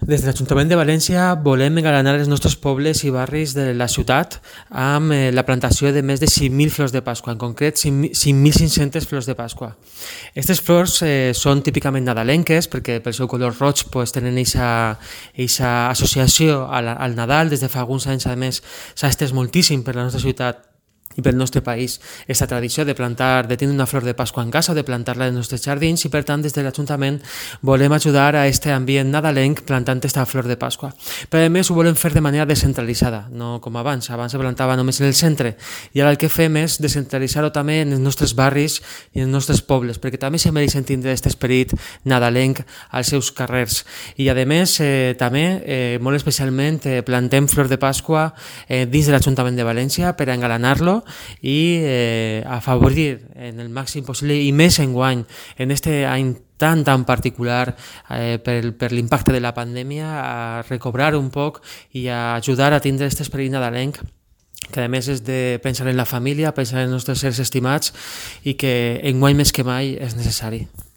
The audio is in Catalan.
Des de l'Ajuntament de València volem engalanar els nostres pobles i barris de la ciutat amb la plantació de més de 5.000 flors de Pasqua, en concret 5.500 flors de Pasqua. Aquestes flors són típicament nadalenques perquè pel seu color roig tenen aquesta associació al Nadal. Des de fa alguns anys, a més, s'ha estès moltíssim per la nostra ciutat i pel nostre país aquesta tradició de tenir una flor de Pasqua en casa o de plantar-la als nostres jardins, i per tant des de l'Ajuntament volem ajudar a aquest ambient nadalenc plantant aquesta flor de Pasqua. Però a més ho volem fer de manera descentralitzada, no com abans se plantava només en el centre, i ara el que fem és descentralitzar-ho també en els nostres barris i en els nostres pobles, perquè també se mereixen tindre aquest esperit nadalenc als seus carrers. I a més també molt especialment plantem flor de Pasqua dins de l'Ajuntament de València per engalanar-lo i afavorir en el màxim possible, i més enguany, en aquest any tan particular per l'impacte de la pandèmia, a recobrar un poc i a ajudar a tindre aquest esperit nadalenc, que a més és de pensar en la família, pensar en els nostres éssers estimats, i que enguany més que mai és necessari.